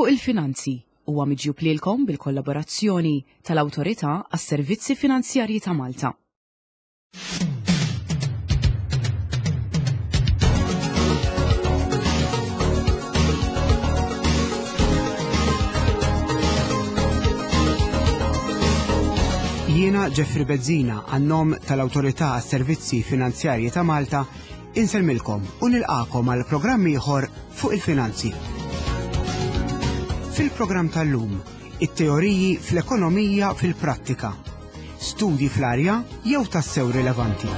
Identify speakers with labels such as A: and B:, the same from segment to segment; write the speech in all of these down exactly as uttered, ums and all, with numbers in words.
A: Fuq il-Finanzi huwa miġjub lilkom bil-kollaborazzjoni tal-Awtorità għas-Servizzi Finanzjarji ta' Malta.
B: Jiena Jeffrey Bezzina, għan-nom tal-Awtorità għas-Servizzi Finanzjarji ta' Malta, insellmilkom u nilqakom għal programm ieħor Fuq il-Finanzi. Fil-programm tal-lum, it-teoriji fl-ekonomija fil-prattika, studji fl-arja jew tassew rilevanti.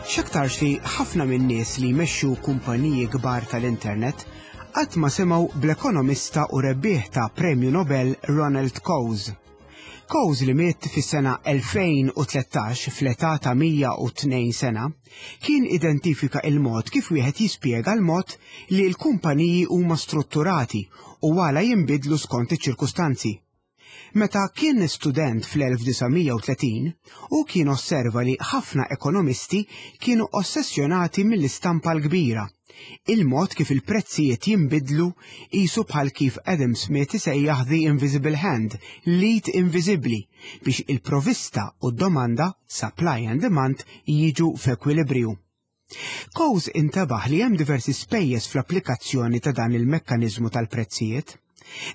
B: X'aktarx li ħafna min-nies li jmexxu kumpaniji kbar tal-internet qatt ma semgħu bl-ekonomista u rebbieħ ta' Premju Nobel Ronald Coase. Coase, li miet fis-sena elfejn u tlettax fl-età ta' mija u tnejn sena, kien identifika il-mod kif wieħed jispjega l-mod li l-kumpaniji huma strutturati u għala jinbidlu skont iċ-ċirkustanzi. Meta kien student fl-elf disa' mija u tletin, u kien osserva li ħafna ekonomisti kienu ossessjonati mill-istampa l-kbira, il-mod kif il-prezzijiet jinbidlu qisu bħal kif Adam Smith isejjaħ "the invisible hand", l-id inviżibbli, biex il-provista u d-domanda, supply and demand, jiġu f'ekwilibrju. Coase intebaħ li hemm diversi spejjeż fl-applikazzjoni ta' dan il-mekkaniżmu tal-prezzijiet.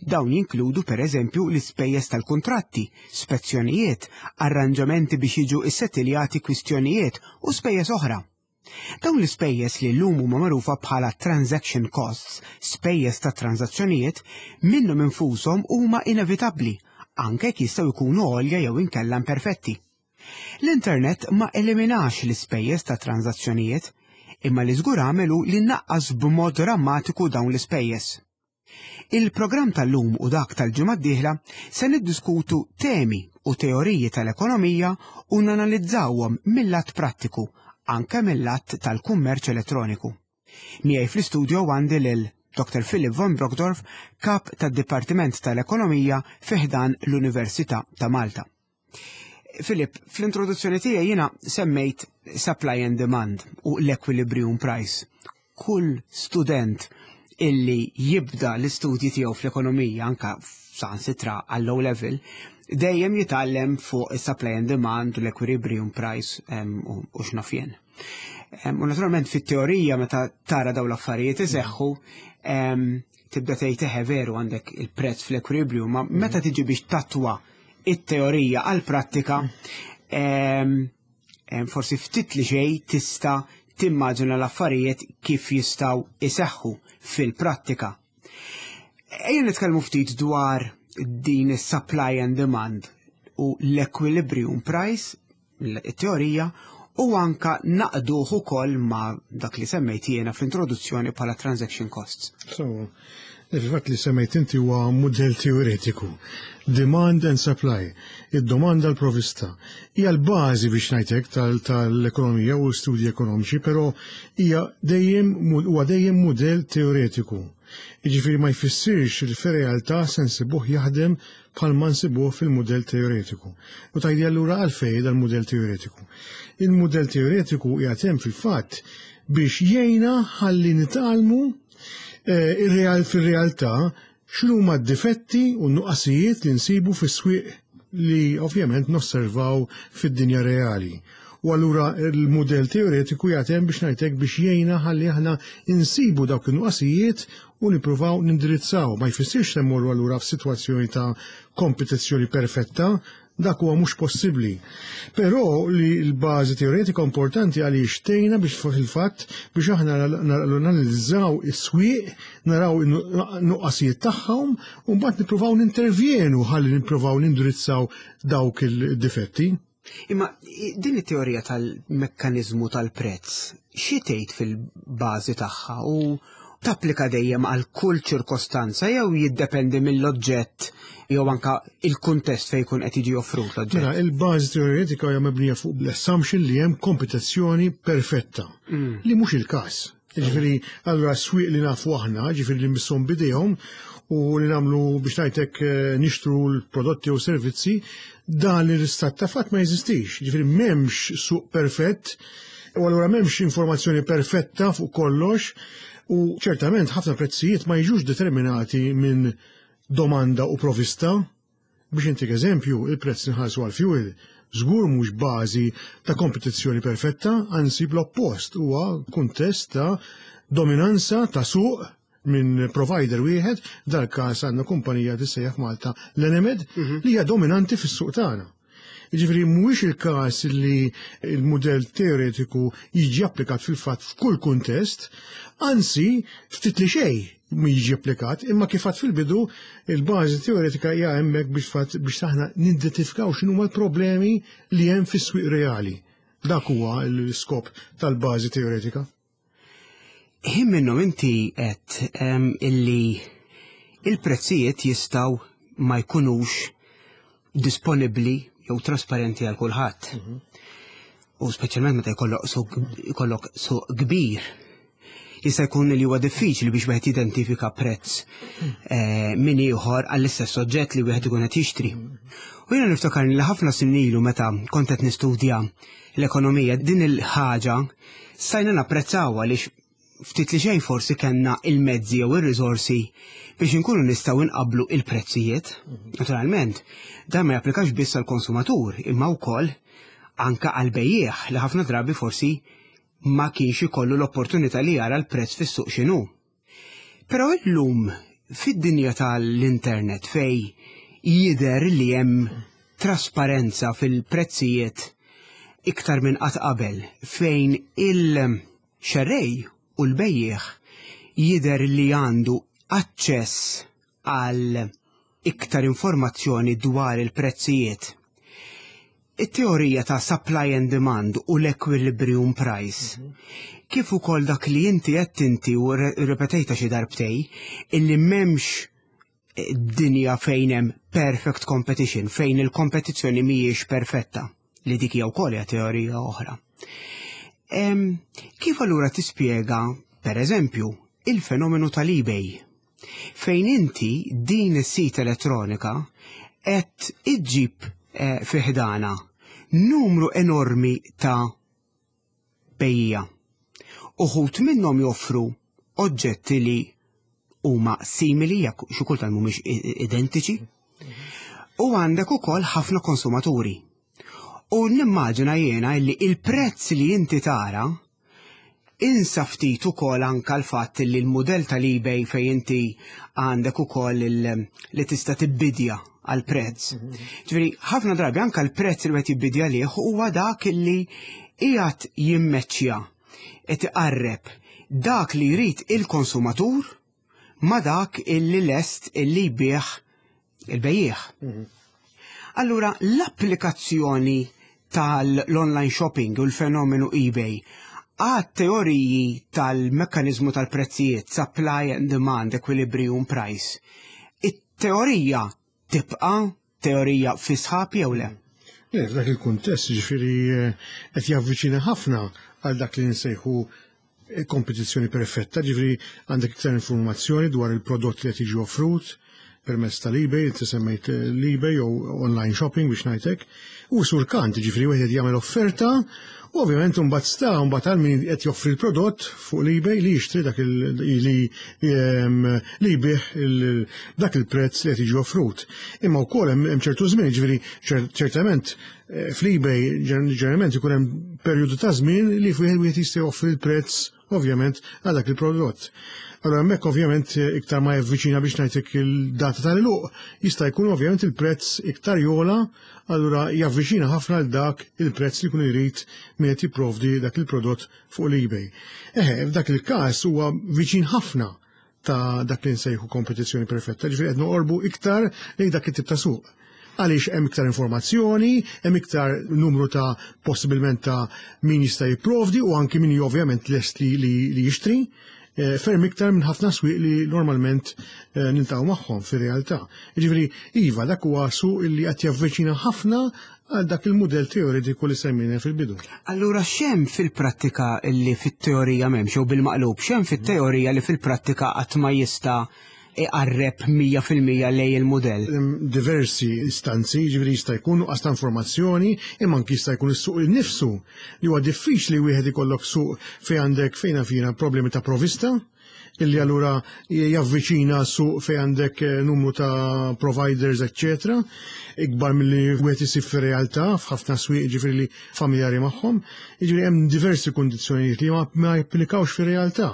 B: Dawn jinkludu, per eżempju, l-ispejjeż tal-kuntratti, spezzjonijiet, arranġamenti biex jiġu issettiljati kwistjonijiet u spejjeż oħra. Dawn l-ispejjeż, li llum huma magħrufa bħala transaction costs, spejjeż ta' transazzjonijiet, minnhom infushom huma inevitabbli, anke jekk jistgħu jkunu għolja jew inkella imperfetti. L-internet ma eliminax l-ispejjeż ta' transazzjonijiet, imma li żgur għamel hu li naqqas b'mod drammatiku dawn l-ispejjeż. Il-programm tal-lum u dak tal-ġimgħa d-dieħla se niddiskutu temi u teoriji tal-ekonomija u nanalizzawhom mill-lat prattiku, anke mill-lat tal-kummerċ elettroniku. Miegħi fl-istudio għandi lil Doctor Philip von Brockdorff, kap tad-Dipartiment tal-Ekonomija fi ħdan l-Università ta' Malta. Philip, fl-introduzzjoni tiegħi jiena semmejt supply and demand u l-equilibrium price. Kull student illi jibda l-istudji tiegħu fl-ekonomija, anka saħansitra għall-O level, dejjem jitgħallem fuq is-supply and demand u l-equilibrium price u x'naf jien. U naturalment fit-teorija, meta tara dawn l-affarijiet iseħħu, tibda tgħid, "Eħe, veru, għandek il-prezz fl-equilibrium", ma meta tiġi biex tattwa it-teorija għal-prattika, forsi ftit li xejn tista' timmaġina l-affarijiet kif jistgħu iseħħu fil-prattika. Ejja nitkellmu ftit dwar din is-supply and demand u l-equilibrium price, it-teorija, u anka nagħqduh ukoll ma' dak li semmejt jiena fl-introduzzjoni bħala transaction costs.
C: So, il-fatt li semmejt inti huwa mudell teoretiku. Demand and supply, id-domanda, l-provista. Hija l-bażi, biex ngħidlek, tal-ekonomija u studji ekonomiċi, però hija dejjem huwa dejjem mudell teoretiku. Jiġifieri ma jfissirx li fir-realtà se nsibuh jaħdem bħalma nsibuh fil-mudell teoretiku. U tgħidli, allura għalfejn dal-mudell teoretiku? Il-mudell teoretiku qiegħed fil-fatt biex jgħinna ħalli nitgħallmu eh, ir-real fir-realtà x'huma d-difetti u n-nuqqasijiet li nsibu fis-swieq li ovvjament nosservaw fid-dinja reali. U allura il-mudell teoretiku jagħtem, biex ngħidlek, biex jgħinna ħalli aħna insibu dawk in-nuqqasijiet u nippruvaw nindirizzaw. Ma jfissirx li mmorru allura f'sitwazzjoni ta' kompetizzjoni perfetta, dak huwa mhux possibbli. Però li l-bażi teoretika importanti għaliex tgħinna biex fil-fatt biex aħna nanalizzaw is-swieq, naraw in-nuqqasijiet tagħhom u mbagħad nippruvaw nintervjenu ħalli nippruvaw nindirizzaw dawk il-difetti.
B: Imma din it-teorija tal-mekkanizmu tal-prezz, xi tgħid fil-bażi tagħha u tapplika dejjem għal kull ċirkostanza jew jiddependi mill-oġġett jew anka il-kuntest fejn jkun qed jiġi offrut l-oġġett?
C: Mela, il-bażi teoretika hija mebnija fuq l-assumption li hemm kompetizzjoni perfetta, mm. li mhux il-każ. Ġifieri, allura swieq li nafu aħna, ġifieri li misshom bidejhom u li nagħmlu, biex ngħidlek, eh, nixtru l-prodotti u servizzi, dan l-istat ta' fatt ma jeżistix. Ġifieri m'hemmx suq perfett. U allura m'hemmx informazzjoni perfetta fuq kollox u ċertament ħafna prezzijiet ma jiġux determinati minn domanda u provista. Biex intik eżempju, il-prezz nħallsu għal-fuel żgur mhux bażi ta' kompetizzjoni perfetta, anzi bl-oppost, huwa kuntest ta' dominanza ta' suq minn provider wieħed, dal-każ għandna kumpanija tissejjaħ Malta l-Enemed, li hija dominanti fis-suq tagħna. Jiġifieri mhuwiex il-każ li il-mudell teoretiku jiġi applikat fil-fatt f'kull kuntest, anzi ftit li xejn mi jiġi applikat, imma kif għedt fil-bidu il-bażi teoretika hija hemmhekk biex fatt biex aħna nidentifikaw x'inhuma l-problemi li hemm fis-swieq reali. Dak huwa l-iskop tal-bażi teoretika.
B: Ħin minnhom inti qed em, illi il-prezzijiet jistgħu ma jkunux disponibbli jew trasparenti għal kulħadd. U speċjalment meta jkollok suq jkollok suq kbir. Jista' jkun li huwa diffiċli biex wieħed jidentifika prezz eh, minn ieħor għall-istess oġġett li wieħed ikun qed jixtri. U jiena niftakar li ħafna snin ilu meta kont qed nistudja l-ekonomija, din il-ħaġa stajna napprezzawha għaliex ftit li xejn forsi kellna il-mezzi jew ir-riżorsi biex inkunu nistgħu nqablu il-prezzijiet. Naturalment, dan ma japplikax biss għall-konsumatur, imma wkoll anka għal bejjiegħ li ħafna drabi forsi ma kienx ikollu l-opportunità li jara l-prezz fis-suq x'inhu. Però illum fid-dinja tal-internet, fej jidher li hemm trasparenza fil-prezzijiet iktar minn qatt qabel, fejn il-xerrej u l-bejjiegħ jidher li għandu aċċess għal iktar informazzjoni dwar il-prezzijiet. It-teorija ta' supply and demand u l-equilibrium price, kif ukoll dak li inti qed inti u ripetejta xi darbtej, illi m'hemmx eh, dinja fejn hemm perfect competition, fejn il-kompetizzjoni mhijiex perfetta, li dik hija wkoll hija teorija oħra. Em, kif allura tispjega, per eżempju, il-fenomenu tal-eBay, fejn inti din is-sit elettronika qed iġġib eh, fi ħdana numru enormi ta' bejjiegħa? Uħud minnhom joffru oġġetti li huma simili, jekk xi kultant mhumiex identiċi, u għandek ukoll ħafna konsumaturi. U nimmaġina jiena li il-prezz li inti tara insa ftit ukoll anka l-fatt li l-mudell tal-eBay fejn inti għandek ukoll li tista' tibbidja għal prezz. Ġifieri ħafna drabi anka l-prezz li qed jibbidja lih huwa dak li qiegħed jimmeċċja, qed iqarreb dak li jrid il-konsumatur ma dak illi lest illi jbigħ il-bejjiegħ. Allura l-applikazzjoni tal-online shopping u l-fenomenu eBay għat teoriji tal-mekkanizmu tal-prezzijiet, supply and demand, equilibrium price, it-teorija tibqa teorija fi sħab jew le?
C: Le, f'dak il-kuntest, ġifieri eh, qed javviċina ħafna għal dak li nsejħu kompetizzjoni perfetta, ġifieri għandek iktar informazzjoni dwar il-prodott li qed jiġi offrut permezz tal-eBay, inti semmejt l-eBay jew online shopping biex ngħidlek, u surkant, ġifieri wieħed jagħmel offerta u ovvjament mbagħad sta mbagħad għal min qed joffri l-prodott fuq l-eBay li jixtri dak li li jbigħ dak il-prezz li qed jiġi offrut. Imma wkoll hemm ċertu żmien, ġifieri ċertament eh, fl-eBay ġeneralment ikun hemm perjodu ta' żmien li fih wieħed jista' joffri l-prezz ovvjament għal dak il-prodott. Allora hemmhekk ovvjament iktar ma javviċina, biex ngħidlek, il-data tal-għeluq, jista' jkun ovvjament il-prezz iktar jogħla, allura javviċina ħafna għal dak il-prezz li jkun irid min qed jipprovdi dak il-prodott fuq l-eBay. Eħe, f'dak il-każ huwa viċin ħafna ta' dak li nsejħu kompetizzjoni perfetta, ġifieri qed noqorbu iktar lejn dak it-tip ta' suq. Għaliex hemm iktar informazzjoni, hemm iktar numru ta' possibilment ta' min jista' jipprovdi u anki min ovvjament lest li, li, li jixtri, eh, ferm iktar minn ħafna swieq li normalment eh, niltaqgħu magħhom fir-realtà. Jiġifieri iva, dak huwa suq li qed javviċina ħafna għal dak il-mudell teoretiku li semmejna fil-bidu.
B: Allura x'hemm fil-prattika li fit-teorija m'hemmx, jew bil-maqlub, x'hemm fit-teorija li fil-prattika qatt ma jista' iqarreb mija fil-mija lejn il-modell?
C: Hemm diversi istanzi, ġifieri jista' jkun nuqqas ta' informazzjoni, imma anki jista' jkun is-suq innifsu li huwa diffiċli wieħed ikollok suq fejn għandek fejn fina problemi ta' provista, illi allura javviċina suq fejn għandek eh, numru ta' providers, eccetera, ikbar milli wieħed isib fir-realtà f'ħafna swieq, ġifieri li familjari magħhom, ġifieri hemm diversi kundizzjonijiet li ma ma japplikawx fir-realtà.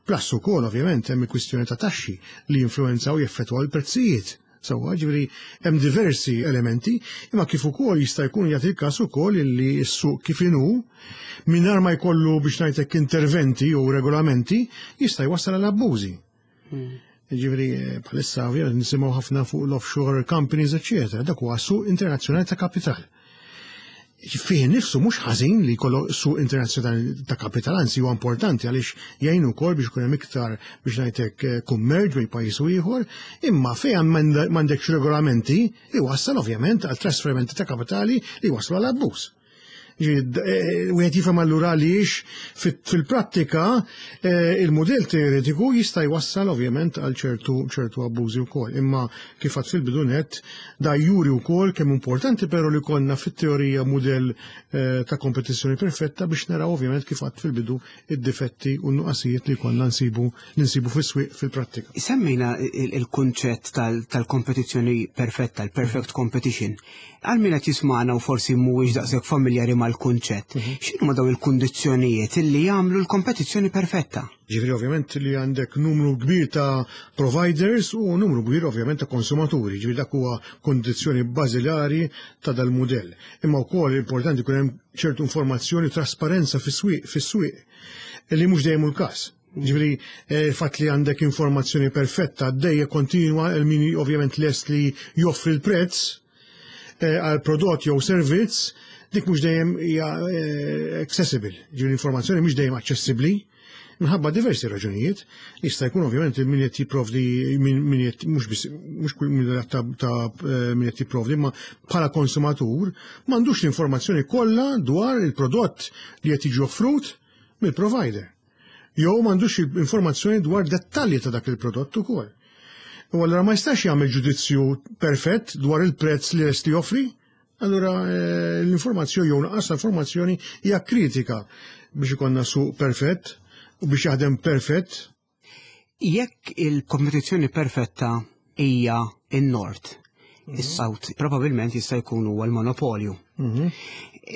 C: Plus ukoll ovvjament hemm il-kwistjoni ta' taxxi li jinfluwenzaw, jeffettwaw il-prezzijiet. Sewwa, ġifieri hemm diversi elementi, imma kif ukoll jista' jkun jagħti il-każ ukoll illi s-suq kif inhu mingħajr ma jkollu, biex ngħidlek, interventi jew regolamenti jista' jwassal għal abbużi. Ġifieri eh, bħalissa ovvjament nisimgħu ħafna fuq l-offshore companies, eċċetera. Dak huwa suq internazzjonali ta' kapital. Fih nifsu mhux ħażin li jkollu suq internazzjonali ta' kapital, anzi huwa importanti għaliex jgħin ukoll biex ikun hemm iktar, biex ngħidlek, eh, kummerġ bejn pajjiż u ieħor, imma fejn m'għandekx regolamenti iwassal ovvjament għal trasferimenti ta' kapitali li jwasslu għal abbuż. Wieħed jifhem allura għaliex fil-prattika eh, il-modell teoretiku jista' jwassal ovvjament għal ċertu ċertu abbużi wkoll. Imma kif għedt fil-bidu nett, da juri wkoll kemm importanti però li konna fit-teorija mudell eh, ta' kompetizzjoni perfetta biex naraw ovvjament, kif għedt fil-bidu, id-difetti u n-nuqqasijiet li konna nsibu ninsibu fis-swieq fil-prattika.
B: Semmejna il-kunċett tal-kompetizzjoni perfetta, il-perfect competition. Għal min qed jismagħna u forsi mhuwiex daqshekk familjari mal-kunċett, mhm. x'inhuma dawn il-kundizzjonijiet illi jagħmlu l-kompetizzjoni perfetta?
C: Ġifieri ovvjament li għandek numru kbir ta' providers u numru kbir ovvjament ta' konsumaturi, ġifieri dak huwa kondizzjoni bażilari ta' dal-mudell. Imma wkoll importanti jkun hemm ċertu informazzjoni, trasparenza fis-swieq fis-swieq li mhux dejjem il-każ. Ġifieri, eh, fatt li għandek informazzjoni perfetta għaddejja kontinwa il min ovvjament lest li joffri l-prezz eh, għal prodott jew servizz, dik mhux dejjem hija eh, accessible. Ġifieri l-informazzjoni mhux dejjem aċċessibbli minħabba diversi raġunijiet. Jista' jkun ovvjament min qed jipprovdi, min qed, mhux biss, mhux kull min ta' ta' min qed jipprovdi, ma bħala konsumatur m'għandux l-informazzjoni kollha dwar il-prodott li qed jiġi offrut mill-provider. Jew m'għandux informazzjoni dwar dettalji ta' dak il-prodott ukoll. U allura ma jistax jagħmel ġudizzju perfett dwar il-prezz li lest joffri. Allura eh, l-informazzjoni jew nuqqas informazzjoni hija kritika biex ikollna suq perfett u biex jaħdem perfett.
B: Jekk il-kompetizzjoni perfetta hija in-nord, mhm. is-south probabilment jista' jkun huwa l-monopolju. Mhm.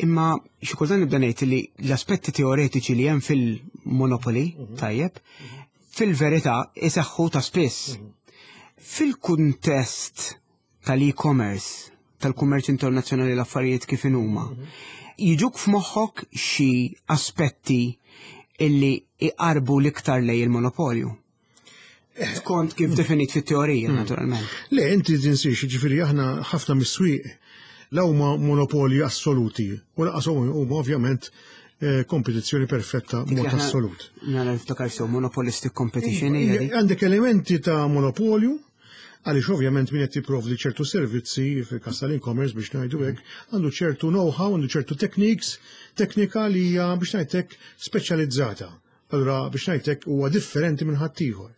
B: Imma xi kultant nibda ngħid li l-aspetti teoretiċi li hemm fil-monopoli, mhm. tajjeb, fil-verità iseħħu ta' spiss. Fil-kuntest tal-e-commerce, tal-kummerċ internazzjonali, l-affarijiet kif huma, jiġuk f'moħħok xi aspetti illi iqarbu l-iktar lejn il-monopolju? Skont kif definit fit-teorija, hmm. naturalment.
C: Le, inti tinsiex, ġifieri aħna ħafna mis-swieq la huma monopoli assoluti u lanqas huma ovvjament eh, kompetizzjoni perfetta mod assolut.
B: Nara niftakar sew, monopolistic competition.
C: Għandek elementi ta' monopolju, għaliex ovvjament min qed jipprovdi ċertu servizzi fil-kas tal-e-commerce, biex ngħidu hekk, għandu ċertu know-how, għandu ċertu techniques, teknika li hija, biex ngħidlek, speċjalizzata. Allura, biex ngħidlek, huwa differenti minn ħaddieħor.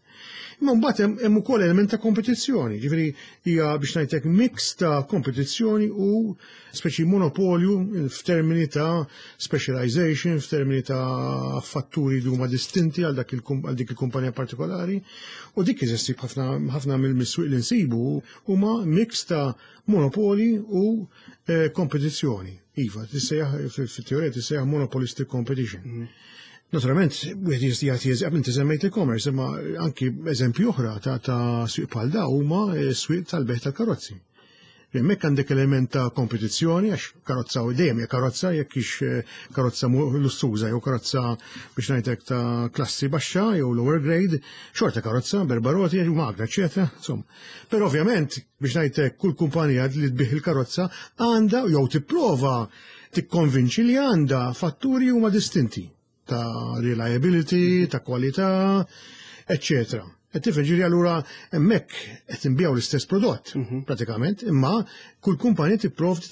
C: Imma mbagħad hemm ukoll element ta' kompetizzjoni, ġifieri hija, biex ngħidlek, mix ta' kompetizzjoni u speċi monopolju f'termini ta' specialization, f'termini ta' fatturi li huma distinti għal dak għal dik il-kumpanija partikolari. U dik issib ħafna ħafna mill-swieq li nsibu huma mix ta' monopoli u eh, kompetizzjoni. Iva, tissejjaħ fit-teorija tissejjaħ monopolistic competition. Mm. Naturalment, wieħed jista' jagħti eżempju, inti semmejt e-commerce, imma anki eżempju oħra ta' ta' swieq bħal da huma swieq tal-bejgħ tal-karozzi. Hemmhekk għandek element ta' kompetizzjoni għax karozza u dejjem hija karozza, jekk hix eh, karozza lussuża jew karozza, biex ngħidlek, ta' klassi baxxa jew lower grade, xorta karozza, b'erba' roti, magna, eċetera. Insomma. Però ovvjament, biex ngħidlek, kull kumpanija li tbigħ il-karozza għandha jew tipprova tikkonvinċi li għandha fatturi huma distinti ta' reliability, ta' kwalità, eccetera. Qed tifhem, ġifieri allura hemmhekk qed inbiegħu l-istess prodott mhm. pratikament, imma kull kumpanija tipprovdi,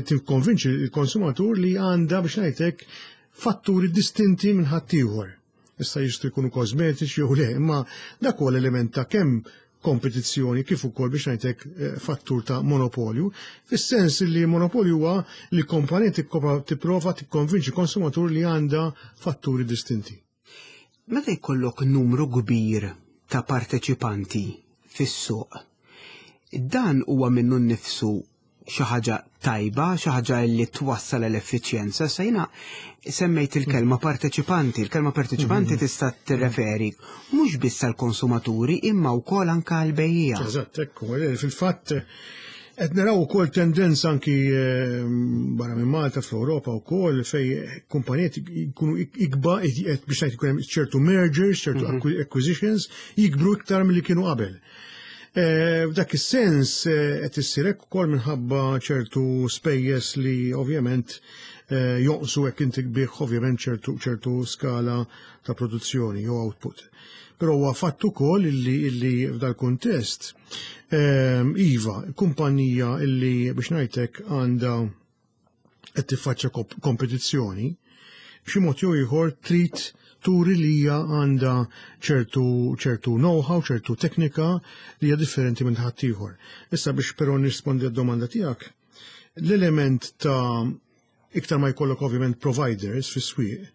C: tikkonvinċi l-konsumatur li għandha, biex ngħidlek, fatturi distinti minn ħaddieħor. Issa jistgħu jkunu kosmetiċi jew le, imma dak huwa l-element ta' kemm kompetizzjoni kif ukoll, biex ngħidlek, eh, fattur ta' monopolju, fis-sens li monopolju huwa li kumpanija tipprova tikkonvinċi konsumatur li għandha fatturi distinti.
B: Meta jkollok numru kbir ta' parteċipanti fis-suq, dan huwa minnu nnifsu xi ħaġa tajba, xi ħaġa li twassal l-effiċjenza? Sa jiena semmejt il-kelma parteċipanti, il-kelma parteċipanti mhm. tista' tirreferi mhux biss għall-konsumaturi imma wkoll anke għall-bejjiegħa.
C: Eżatt, ekku, fil-fatt qed naraw ukoll tendenza anki eh, barra minn Malta, fl-Ewropa wkoll, fejn kumpanijiet jkunu ikbar, biex ngħid, ikun hemm ċertu mergers, ċertu mhm. acquisitions, jikbru iktar milli kienu qabel. Eh, f'dak is-sens eh, qed issir hekk ukoll minħabba ċertu spejjeż li ovvjament eh, jonqsu hekk inti bih ovvjament ċertu ċertu skala ta' produzzjoni jew output. Però huwa fatt ukoll illi illi f'dal-kuntest, iva, kumpanija illi, biex ngħidlek, għandha qed tiffaċċja kompetizzjoni, b'xi mod jew ieħor trid turi li hija għandha ċertu ċertu know-how, ċertu teknika li hija differenti minn ħaddieħor. Issa biex però nirrispondi għad-domanda tiegħek, l-element ta' iktar ma jkollok ovvjament providers fis-swieq,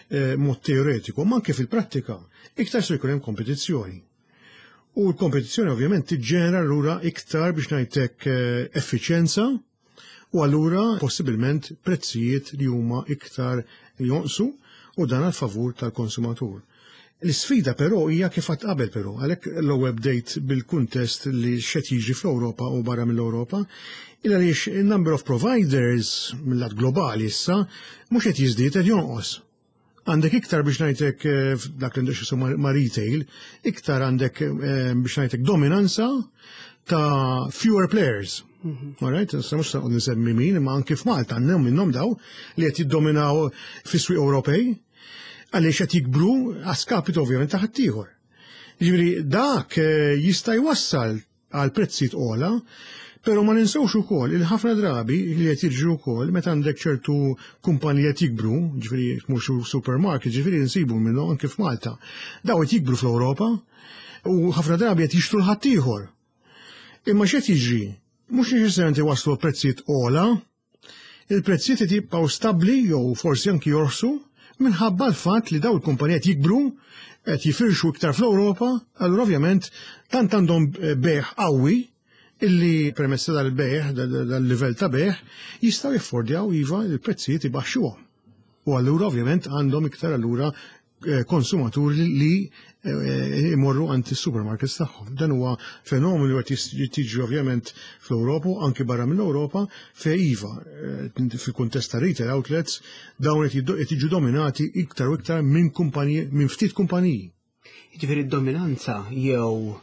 C: eh, mod teoretiku, ma anke fil-prattika, iktar se jkun hemm kompetizzjoni. U l-kompetizzjoni ovvjament tiġġenera allura iktar, biex ngħidlek, eh, effiċjenza u allura possibilment prezzijiet li huma iktar jonqsu, u dan għal favur tal-konsumatur. L-sfida però hija kif għedt qabel però, għalhekk l-ewwel bdejt bil-kuntest li x'qed jiġri fl-Ewropa u barra mill-Ewropa, il għaliex il-number of providers mill-lat globali issa mhux qed jiżdied, qed jonqos. Għandek iktar, biex ngħidlek, eh, dak li ndux ma' retail, iktar għandek, eh, biex ngħidlek, dominanza ta' fewer players. Mhm. All right, issa mhux se nsemmi min, imma anki f'Malta għandhom minnhom daw li qed jiddominaw fis-swieq Ewropej għaliex qed jikbru a skapito ovvjament ta' ħaddieħor. Jiġifieri dak eh, jista' jwassal għal prezzijiet ogħla, però ma ninsewx ukoll il ħafna drabi li qed jiġri wkoll meta għandek ċertu kumpaniji qed jikbru, ġifieri mhux supermarket, ġifieri nsibu minnhom anke f'Malta. Daw qed jikbru fl-Ewropa u ħafna drabi qed jixtru l-ħaddieħor. Imma x'qed jiġri? Mhux neċessarjament waslu prezzijiet ogħla, il-prezzijiet qed jibqgħu stabbli jew forsi anki jorħsu minħabba l-fatt li daw il-kumpanijiet jikbru, qed jifirxu iktar fl-Ewropa, allura ovvjament tant għandhom bejgħ qawwi illi permezz dal-bejgħ, dal-livell ta' bejgħ, jistgħu jaffordjaw, iva, il-prezzijiet ibaxxuhom. U allura ovvjament għandhom iktar allura eh, konsumaturi li eh, imorru għand is-supermarkets tagħhom. Dan huwa fenomenu li qed tiġi ovvjament fl-Ewropa, anki barra mill-Ewropa, fejn, iva, eh, fil-kuntest ta' retail outlets dawn qed jiġu dominati iktar u iktar minn kumpaniji, minn ftit kumpaniji.
B: Jiġifieri d-dominanza jew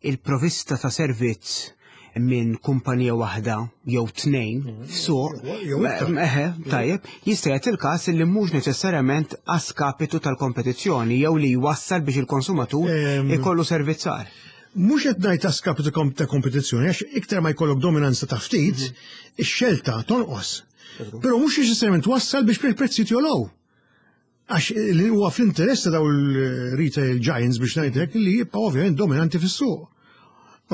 B: il-provista ta' servizz minn kumpanija waħda jew tnejn f'suq, eħe, tajjeb, jista' jagħti il-każ li mhux neċessarjament a skapitu tal-kompetizzjoni jew li jwassal biex il-konsumatur ikollu servizz agħar.
C: Mhux qed ngħid a skapitu ta' kompetizzjoni, għax iktar ma jkollok dominanza ta' ftit, mhm. ix-xelta tonqos. Però mhux neċessarjament wassal biex prezzijiet jogħlew. Għax li huwa fl-interess ta' daw il-retail giants, biex ngħidlek, li jibqa' ovvjament dominanti fis-suq.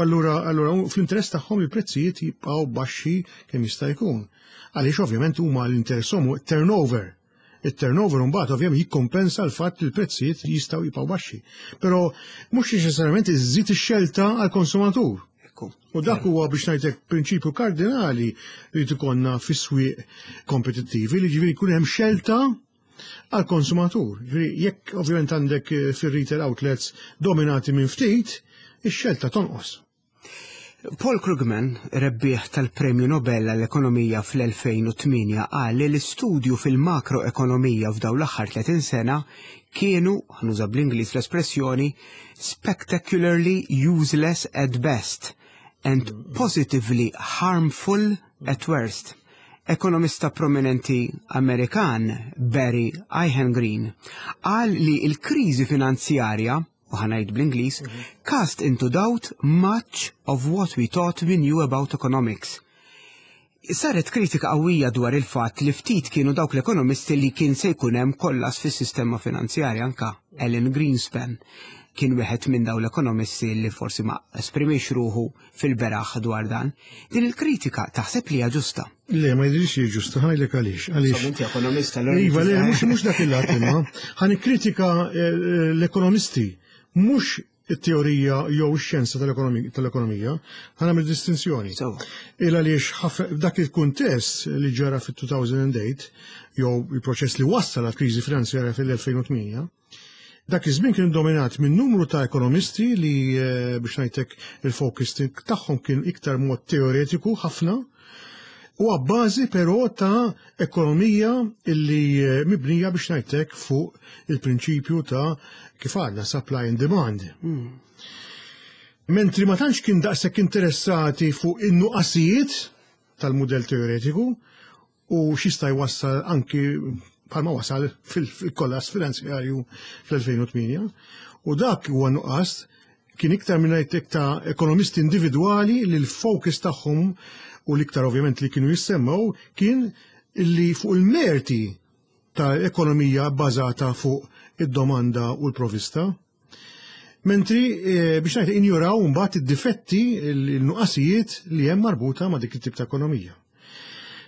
C: Allura, allura fl-interess tagħhom il-prezzijiet jibqgħu baxxi kemm jista' jkun. Għaliex ovvjament huma l-interess turnover. Il-turnover mbagħad ovvjament jikkompensa l-fatt li l-prezzijiet jistgħu jibqgħu baxxi. Però mhux neċessarjament iżżid ix-xelta għall-konsumatur. U dak huwa, biex ngħidlek, prinċipju kardinali li ikollna fis-swieq kompetittivi, li ġifieri jkun hemm xelta għal-konsumatur. Ġifieri jekk ovvjament għandek eh, fir-retail outlets dominati minn ftit, ix-xelta tonqos.
B: Paul Krugman, rebbieħ tal-Premju Nobel għall-Ekonomija fl-elfejn u tmienja, qal li l-istudju fil-makroekonomija f'daw l-aħħar tletin sena kienu, ħa nuża bl-Ingliż l-espressjoni, "spectacularly useless at best and positively harmful at worst". Ekonomista prominenti Amerikan Barry Eichengreen qal li l-kriżi finanzjarja, u ħa ngħid bl-Ingliż, "cast into doubt much of what we thought we knew about economics". Saret kritika qawwija dwar il-fatt li ftit kienu dawk l-ekonomisti li kien se jkun hemm kollass fis-sistema finanzjarja. Anka Alan Greenspan kien wieħed minn dawn l-ekonomisti li forsi ma esprimix ruħu fil-beraħ dwar dan. Din il-kritika taħseb li hija ġusta?
C: Le, ma jidhirx li ġusta, ħa ngħidlek għaliex. Għaliex.
B: Inti ekonomista.
C: Iva, le, mhux mhux dak il-lat imma. Ħa nikkritika eh, l-ekonomisti, mhux it-teorija jew ix-xjenza tal-ekonomija, ħa nagħmel distinzjoni. Il għaliex dak il-kuntest li ġara fit-elfejn u tmienja jew il-proċess li wassal għal kriżi finanzjarja fil-elfejn u tmienja, dak iż-żmien kien dominat minn numru ta' ekonomisti li eh, biex ngħidlek il-focus tagħhom kien iktar mod teoretiku ħafna u a bażi però ta' ekonomija illi eh, mibnija, biex ngħidlek, fuq il-prinċipju ta' kif għadna, supply and demand. Mm. Mentri ma tantx kien daqshekk interessati fuq in-nuqqasijiet tal-mudell teoretiku u x'jista' jwassal, anki bħalma wasal fil-kollass finanzjarju fl-elfejn u tmienja. U dak huwa nuqqas kien iktar minn ta' ekonomisti individwali li l-focus tagħhom u l-iktar ovvjament li kienu jissemmaw kien li fuq il-merti ta' ekonomija bbażata fuq id-domanda u l-provista. Mentri eh, biex ngħid injuraw mbagħad id-difetti, il-nuqqasijiet li hemm marbuta ma' dik it-tip ta' ekonomija.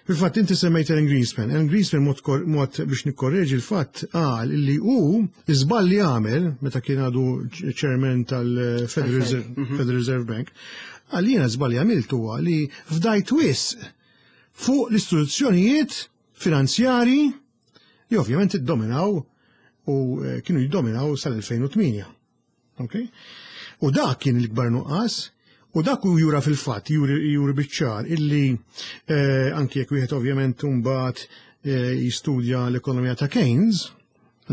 C: Fil-fatt inti semmejt Alan Greenspan. Alan Greenspan, mod, mod biex nikkorreġi l-fatt, qal li hu iżball li għamel meta kien għadu chairman tal-Federal Reserve, mhm. Federal Reserve Bank, qal jiena żball li għamilt huwa li fdajt wisq fuq l-istituzzjonijiet finanzjari li ovvjament iddominaw u eh, kienu jiddominaw sal-elfejn u tmienja. Okay? U dak kien l-ikbar nuqqas. U dak u jura fil-fatt, juri, juri biċ-ċar, illi eh, anki jekk wieħed ovvjament mbagħad eh, jistudja l-ekonomija ta' Keynes,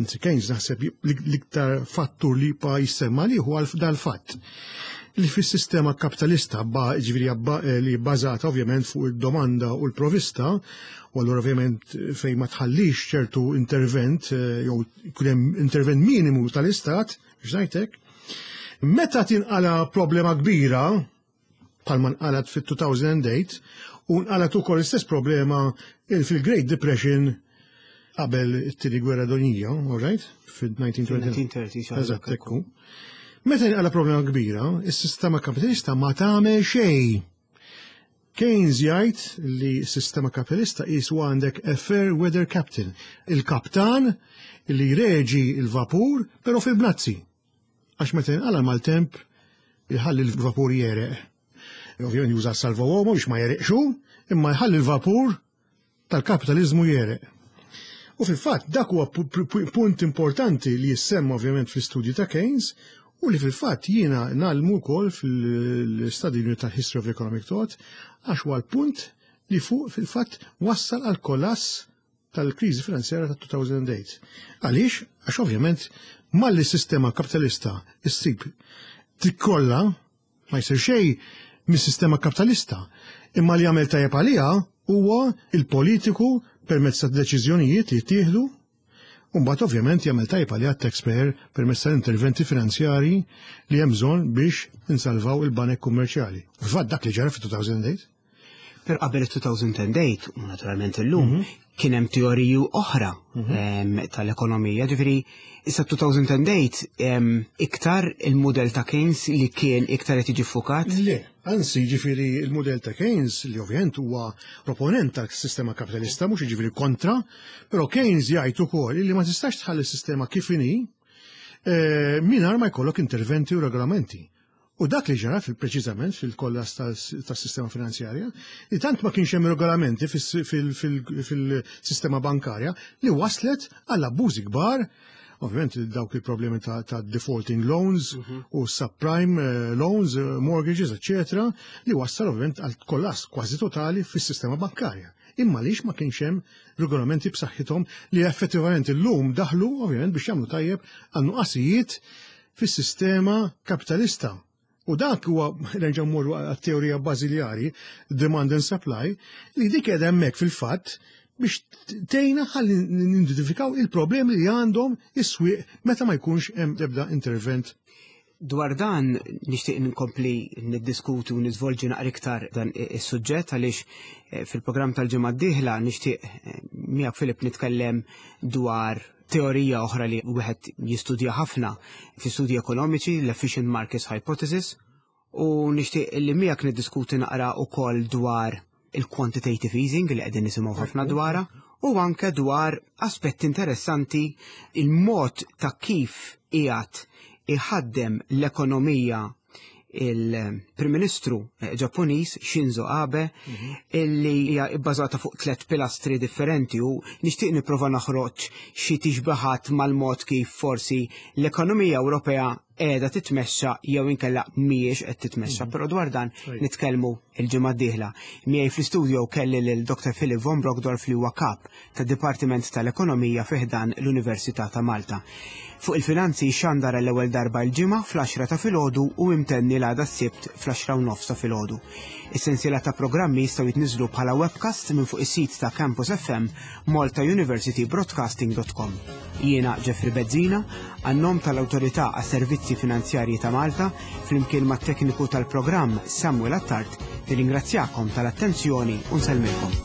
C: anzi Keynes naħseb l-iktar fattur li pa jissemma li huwa dal-fatt li fis-sistema kapitalista ba, ġifieri eh, li bbażata ovvjament fuq id-domanda u l-provista, u allura ovvjament fejn ma tħallix ċertu intervent eh, jew jkun hemm intervent minimu tal-istat, biex ngħidlek, meta tinqala problema kbira bħalma nqalat fit-elfejn u tmienja u nqalat ukoll l-istess problema fil-Great Depression qabel it-tieni gwerra dinjija, all right? Fil-elf disa' mija u tletin. Eżatt, ekku. Meta nqala problema kbira, is-sistema kapitalista ma tagħmel xejn. Keynes jgħid li s-sistema kapitalista qisu għandek a fair weather captain, il-kaptan li jreġi il-vapur, però fil-bnazzi. Għax meta nqala maltemp jħalli l-vapur jegħreq. Ovvjament juża salva uomo biex ma jegħreqx, imma jħalli l-vapur tal-kapitalizmu jegħreq. U fil-fatt dak huwa punt importanti li jissemma ovvjament fl-istudju ta' Keynes u li fil-fatt jiena ngħallmu wkoll fil-study unit tal-History of Economic Thought, għax huwa l-punt li fuq fil-fatt wassal għal kollass tal-kriżi finanzjarja ta' elfejn u tmienja. Għaliex? Għax ovvjament malli sistema kapitalista issib tikkolla ma jsir xejn mis-sistema kapitalista. Imma li jagħmel tajjeb għaliha huwa il-politiku permezz ta' deċiżjonijiet li jittieħdu. Mbagħad ovvjament jagħmel tajjeb għaliha taxpayer permezz tal-interventi finanzjari li hemm bżonn biex insalvaw il-banek kummerċjali. U fatt dak li ġara fit-elfejn u tmienja.
B: Per qabel il-elfejn u tmienja, u naturalment illum, mhm. kien hemm teoriji oħra mhm. tal-ekonomija. Ġifieri, issa elfejn u tmienja iktar il-modell ta' Keynes li kien iktar qed jiġi ffukat?
C: Le, anzi, ġifieri il-modell ta' Keynes li ovvjament huwa proponent tal-sistema kapitalista, mhux ġifieri kontra, però Keynes jgħid ukoll li ma tistax tħalli s-sistema kif inhi eh, mingħajr ma jkollok interventi u regolamenti. U dak li ġara fil-preċiżament fil-kollass tas-sistema finanzjarja, li tant ma kienx hemm regolamenti fil-sistema bankarja li waslet għall abbużi kbar, ovvjament dawk il-problemi ta', ta defaulting loans mm -hmm. u subprime eh, loans, eh, mortgages, eccetera, li wassal ovvjament għal kollass kważi totali fis-sistema bankarja. Imma lix ma kienx hemm regolamenti b'saħħithom li effettivament illum daħlu ovvjament biex jagħmlu tajjeb għal nuqqasijiet fis-sistema kapitalista. U dak huwa, nerġa' mmorru għat-teorija bażiljari, demand and supply, li dik qiegħda hemmhekk fil-fatt biex tgħinna ħalli nidentifikaw il-problemi li għandhom is-swieq meta ma jkunx hemm ebda intervent.
B: Dwar dan nixtieq nkompli niddiskutu u niżvolġi naqra iktar dan is-suġġett għaliex eh, fil-programm tal-ġimgħa d-dieħla nixtieq eh, miegħek Filip nitkellem dwar teorija oħra li wieħed jistudja ħafna fi studji ekonomiċi, l-Efficient Market Hypothesis, u nixtieq li miegħek niddiskuti naqra wkoll dwar il-quantitative easing li qegħdin nisimgħu ħafna dwarha u anke dwar aspetti interessanti, il-mod ta' kif qiegħed iħaddem l-ekonomija il-Prim Ministru eh, Ġappuniż Shinzo Abe, mhm. illi hija bbażata fuq tliet pilastri differenti, u nixtieq nipprova noħroġ xi tixbaħat mal-mod kif forsi l-ekonomija Ewropea qiegħda titmexxa jew inkella mhijiex qed titmexxa, mhm. però dwar dan nitkellmu il-ġimgħa d-dieħla. Miegħi fl-istudio kelli lil Doctor Philip von Brockdorff, li huwa kap tad-Dipartiment tal-Ekonomija fi ħdan l-Università ta' Malta. Fuq il-Finanzi xandar l-ewwel darba l-Ġimgħa fl-għaxra ta' filgħodu u imtenni l-għada s-Sibt fl-għaxra u nofs ta' filgħodu. Is-sensiela ta' programmi jistgħu jitniżlu bħala webcast minn fuq is-sit ta' Campus F M malta university broadcasting dot com. Jiena Jeffrey Bezzina, għan-nom tal-Awtorità għas-Servizzi Finanzjarji ta' Malta, flimkien mat-tekniku tal-programm Samuel Attard, nirringrazzjakom tal-attenzjoni u nsellmilkom.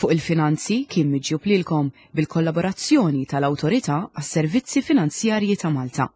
A: Fuq il-Finanzi kien miġjub lilkom bil-kollaborazzjoni tal-Awtorità għas-Servizzi Finanzjarji ta' Malta.